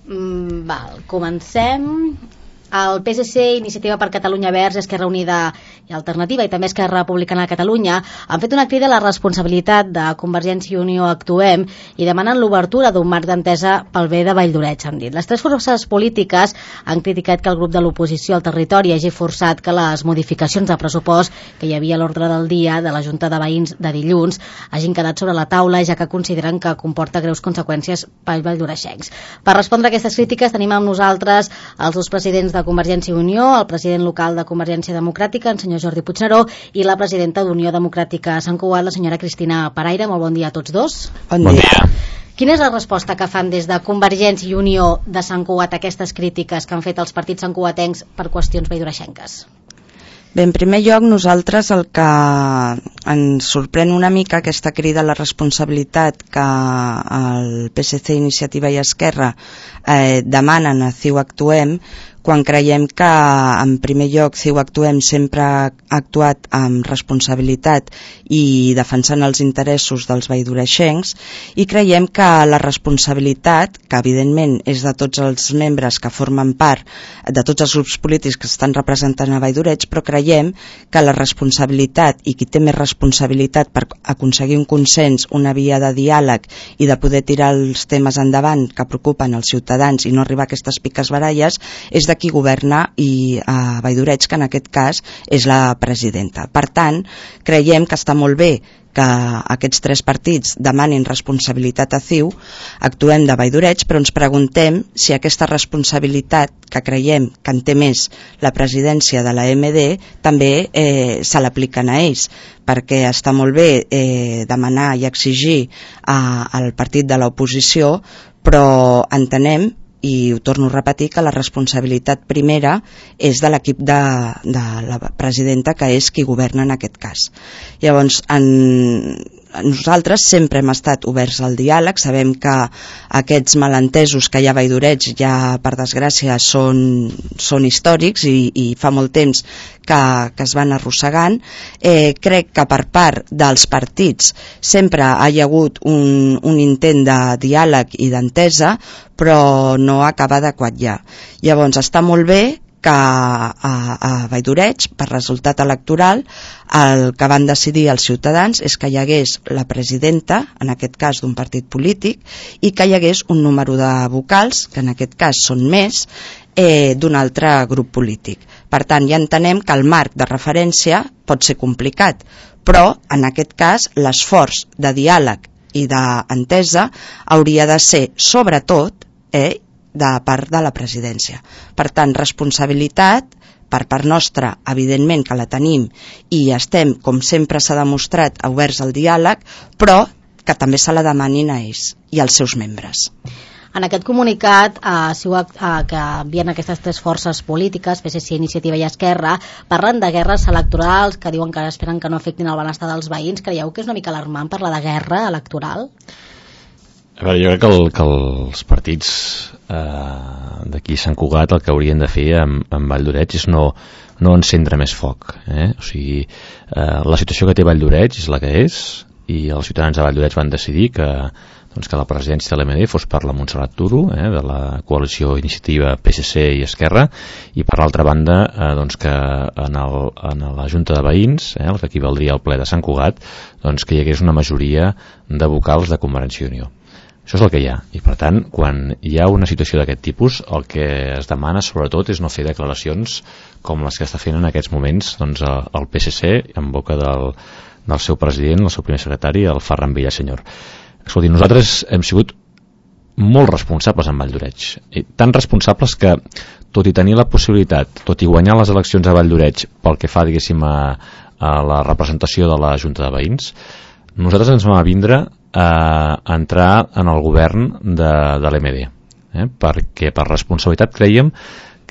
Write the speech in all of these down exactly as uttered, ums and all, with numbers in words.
Mm, val, comencem. El P S C, Iniciativa per Catalunya Verds, Esquerra Unida i Alternativa i també Esquerra Republicana de Catalunya han fet una crida a la responsabilitat de Convergència i Unió Actuem i demanen l'obertura d'un marc d'entesa pel bé de Valldoreix, han dit. Les tres forces polítiques han criticat que el grup de l'oposició al territori hagi forçat que les modificacions de pressupost que hi havia a l'ordre del dia de la Junta de Veïns de dilluns hagin quedat sobre la taula, ja que consideren que comporta greus conseqüències pels valldoreixencs. Per respondre a aquestes crítiques tenim amb nosaltres els dos presidents de Convergència i Unió, el president local de Convergència Democràtica, el senyor Jordi Puigneró, i la presidenta d'Unió Democràtica a Sant Cugat, la senyora Cristina Paraire. Molt bon dia a tots dos. Bon dia. Quina és la resposta que fan des de Convergència i Unió de Sant Cugat a aquestes crítiques que han fet els partits santcugatencs per qüestions valldoreixenques? Bé, en primer lloc, nosaltres el que ens sorprèn una mica aquesta crida a la responsabilitat que el P S C, Iniciativa i Esquerra eh, demanen a C I U Actuem, quan creiem que, en primer lloc, C I U Actuem sempre ha actuat amb responsabilitat i defensant els interessos dels valldoreixencs, i creiem que la responsabilitat, que evidentment és de tots els membres que formen part, de tots els grups polítics que estan representant a Valldoreix, però creiem que la responsabilitat i qui té més responsabilitat per aconseguir un consens, una via de diàleg i de poder tirar els temes endavant que preocupen els ciutadans i no arribar a aquestes piques baralles, és de qui governa i a Valldoreix, que en aquest cas és la presidenta. Per tant, creiem que està molt bé que aquests tres partits demanin responsabilitat a C I U, Actuem de Valldoreix, però ens preguntem si aquesta responsabilitat que creiem que en té més la presidència de la M D també eh, se l'apliquen a ells, perquè està molt bé eh, demanar i exigir a, al partit de l'oposició, però entenem, i ho torno a repetir, que la responsabilitat primera és de l'equip de, de la presidenta, que és qui governa en aquest cas. Llavors, en, nosaltres sempre hem estat oberts al diàleg, sabem que aquests malentesos que hi ha a Valldoreix ja, per desgràcia, són, són històrics i, i fa molt temps que, que es van arrossegant. Eh, crec que per part dels partits sempre hi ha hagut un, un intent de diàleg i d'entesa, però no acaba de quallar. Llavors, està molt bé que a, a Valldoreix, per resultat electoral, el que van decidir els ciutadans és que hi hagués la presidenta, en aquest cas d'un partit polític, i que hi hagués un número de vocals, que en aquest cas són més, eh, d'un altre grup polític. Per tant, ja entenem que el marc de referència pot ser complicat, però en aquest cas l'esforç de diàleg i d'entesa hauria de ser, sobretot, eh, de part de la presidència. Per tant, responsabilitat per part nostra, evidentment que la tenim i estem, com sempre s'ha demostrat, oberts al diàleg, però que també se la demanin a ells i als seus membres. En aquest comunicat eh, si ho, eh, que envien aquestes tres forces polítiques, P S C, Iniciativa i Esquerra, parlen de guerres electorals que diuen que esperen que no afectin el benestar dels veïns. Creieu que és una mica alarmant parlar de guerra electoral? A veure, jo crec que, el, que els partits eh, d'aquí Sant Cugat el que haurien de fer amb, amb Valldoreix és no, no encendre més foc. Eh? O sigui, eh, la situació que té Valldoreix és la que és, i els ciutadans de Valldoreix van decidir que, doncs, que la presidència de l'M D fos per la Montserrat Turo, eh, de la coalició Iniciativa P S C i Esquerra, i per l'altra banda eh, doncs que en, el, en la Junta de Veïns, eh, el que equivaldria al ple de Sant Cugat, doncs que hi hagués una majoria de vocals de Convergència i Unió. Això és el que hi ha, i per tant, quan hi ha una situació d'aquest tipus, el que es demana sobretot és no fer declaracions com les que està fent en aquests moments doncs, el P S C en boca del, del seu president, el seu primer secretari, el Ferran Villasenyor. Escolti, nosaltres hem sigut molt responsables en Valldoreix, i tan responsables que, tot i tenir la possibilitat, tot i guanyar les eleccions a Valldoreix pel que fa, diguéssim, a, a la representació de la Junta de Veïns, nosaltres ens vam avindre a entrar en el govern de, de l'M D, eh? perquè per responsabilitat creiem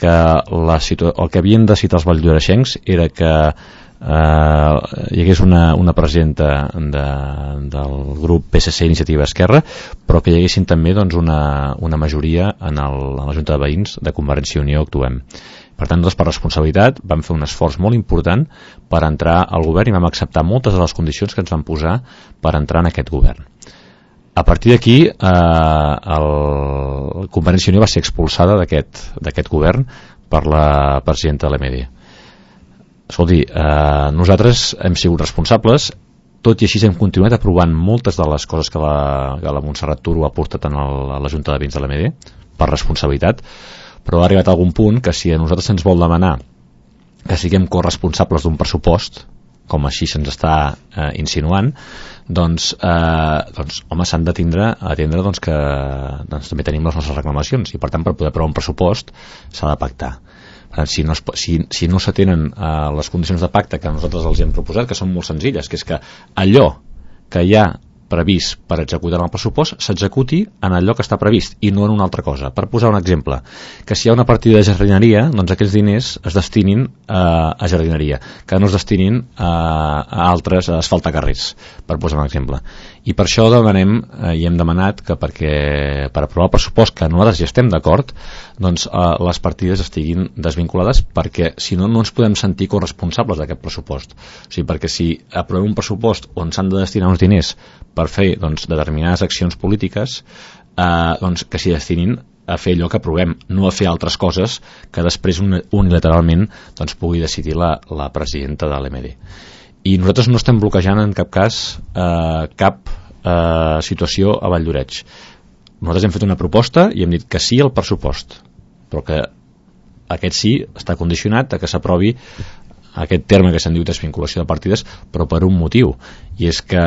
que la situa- el que havien decidit els valldoreixencs era que eh, hi hagués una, una presidenta de, del grup P S C Iniciativa Esquerra, però que hi haguessin també doncs, una, una majoria en, el, en la Junta de Veïns de Convergència i Unió Actuem. Per tant, doncs, per responsabilitat vam fer un esforç molt important per entrar al govern i vam acceptar moltes de les condicions que ens van posar per entrar en aquest govern. a partir d'aquí eh, el Convergència i Unió va ser expulsada d'aquest d'aquest govern per la presidenta de l'E M D. Escolti, eh, nosaltres hem sigut responsables, tot i així hem continuat aprovant moltes de les coses que la, que la Montserrat Turo ha portat en el, a la Junta de Veïns de l'E M D per responsabilitat, però ha arribat a algun punt que si a nosaltres se'ns vol demanar que siguem corresponsables d'un pressupost, com així se'ns està eh, insinuant, doncs, eh, doncs home, s'han de tindre, atendre doncs, que doncs, també tenim les nostres reclamacions i per tant per poder aprovar un pressupost s'ha de pactar. Per tant, si no, es, si, si no s'atenen eh, les condicions de pacte que nosaltres els hem proposat, que són molt senzilles, que és que allò que hi ha previst per executar el pressupost s'executi en allò que està previst i no en una altra cosa. Per posar un exemple, que si hi ha una partida de jardineria, doncs aquells diners es destinin eh, a jardineria, que no es destinin a, a altres, a asfaltar carrers, per posar un exemple. I per això demanem eh, i hem demanat que perquè per aprovar el pressupost, que nosaltres ja estem d'acord, doncs eh, les partides estiguin desvinculades, perquè si no no ens podem sentir corresponsables d'aquest pressupost. O sigui, perquè si aprovem un pressupost on s'han de destinar uns diners per fer doncs, determinades accions polítiques, eh, doncs, que s'hi destinin a fer allò que aprovem, no a fer altres coses que després unilateralment doncs, pugui decidir la, la presidenta de l'E M D. I nosaltres no estem bloquejant en cap cas eh, cap eh, situació a Valldoreix. Nosaltres hem fet una proposta i hem dit que sí al pressupost, però que aquest sí està condicionat a que s'aprovi aquest terme que se'n diu desvinculació de partides, però per un motiu, i és que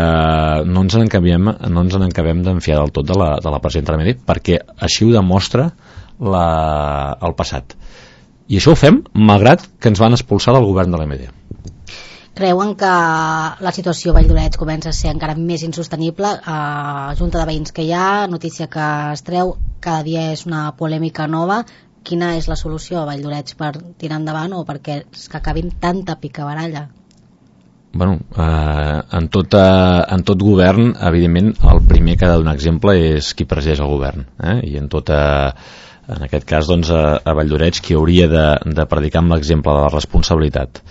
no ens n'encabem no ens n'encabem d'enfiar del tot de la, de la presidenta de l'E M D, perquè així ho demostra la, el passat. I això ho fem malgrat que ens van expulsar del govern de l'E M D. Creuen que la situació a Valldoreix comença a ser encara més insostenible? A Junta de Veïns que hi ha, notícia que es treu, cada dia és una polèmica nova. Quina és la solució a Valldoreix per tirar endavant o perquè es que acabin tanta picabaralla? Bueno, eh, en, tot, eh, en tot govern, evidentment, el primer que ha de donar exemple és qui presideix el govern. Eh? I en tot, eh, en aquest cas, doncs, a, a Valldoreix, qui hauria de, de predicar amb l'exemple de la responsabilitat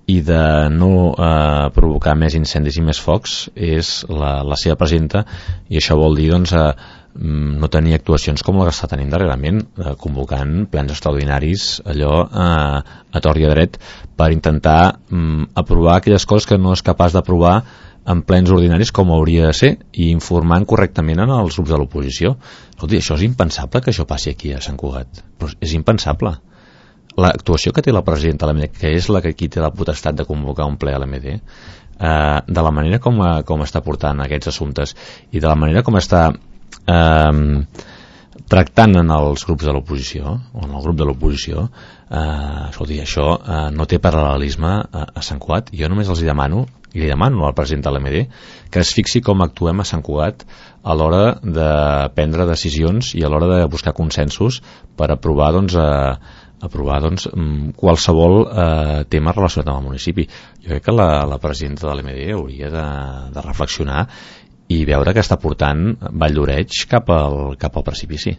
i de no eh, provocar més incendis i més focs és la, la seva presidenta, i això vol dir doncs, eh, no tenir actuacions com la que està tenint darrerament, eh, convocant plens extraordinaris allò eh, a tort i a dret per intentar eh, aprovar aquelles coses que no és capaç d'aprovar en plens ordinaris com hauria de ser, i informant correctament en els grups de l'oposició. Escolti, això és impensable que això passi aquí a Sant Cugat, però és impensable. L'actuació que té la presidenta de l'E M D, que és la que aquí té la potestat de convocar un ple a l'E M D, eh, de la manera com, a, com està portant aquests assumptes i de la manera com està eh, tractant en els grups de l'oposició o en el grup de l'oposició, eh, escolti, això eh, no té paral·lelisme a, a Sant Cugat. Jo només els hi demano, i li demano al president de l'E M D que es fixi com actuem a Sant Cugat a l'hora de prendre decisions i a l'hora de buscar consensos per aprovar doncs, eh, aprovar doncs, qualsevol eh, tema relacionat amb el municipi. Jo crec que la, la presidenta de l'E M D hauria de, de reflexionar i veure que està portant Valldoreix cap al, cap al precipici.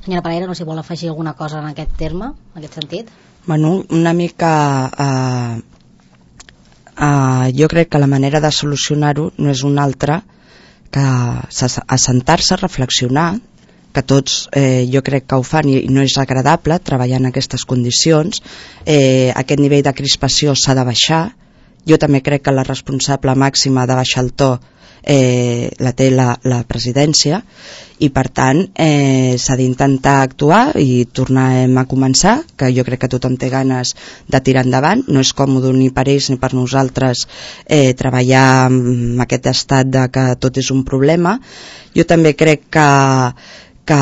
Senyora Parera, no sé si vol afegir alguna cosa en aquest terme, en aquest sentit? Bueno, una mica eh, eh, jo crec que la manera de solucionar-ho no és una altra que assentar-se, reflexionar, que tots eh, jo crec que ho fan i no és agradable treballar en aquestes condicions. Eh, aquest nivell de crispació s'ha de baixar. Jo també crec que la responsable màxima de baixar el to eh, la té la, la presidència, i per tant eh, s'ha d'intentar actuar i tornem a començar, que jo crec que tothom té ganes de tirar endavant. No és còmode ni per ells ni per nosaltres eh, treballar amb aquest estat de que tot és un problema. Jo també crec que que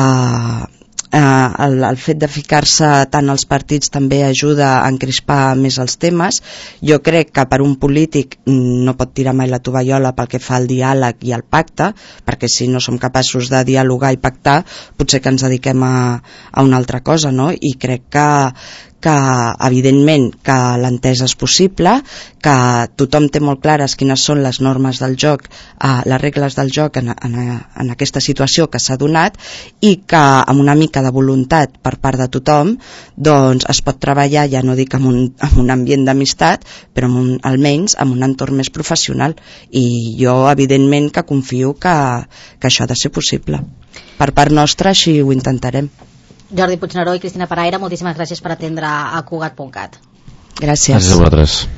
eh, el, el fet de ficar-se tant als partits també ajuda a encrispar més els temes. Jo crec que per un polític no pot tirar mai la tovallola pel que fa al diàleg i al pacte, perquè si no som capaços de dialogar i pactar potser que ens dediquem a, a una altra cosa, no? I crec que que evidentment que l'entesa és possible, que tothom té molt clares quines són les normes del joc, eh, les regles del joc en, en, en aquesta situació que s'ha donat, i que amb una mica de voluntat per part de tothom doncs es pot treballar, ja no dic en un, en un ambient d'amistat, però en un, almenys en un entorn més professional, i jo evidentment que confio que, que això ha de ser possible. Per part nostra així ho intentarem. Jordi Puigneró i Cristina Paraire, moltíssimes gràcies per atendre a Cugat punt cat. Gràcies. Gràcies a vosaltres.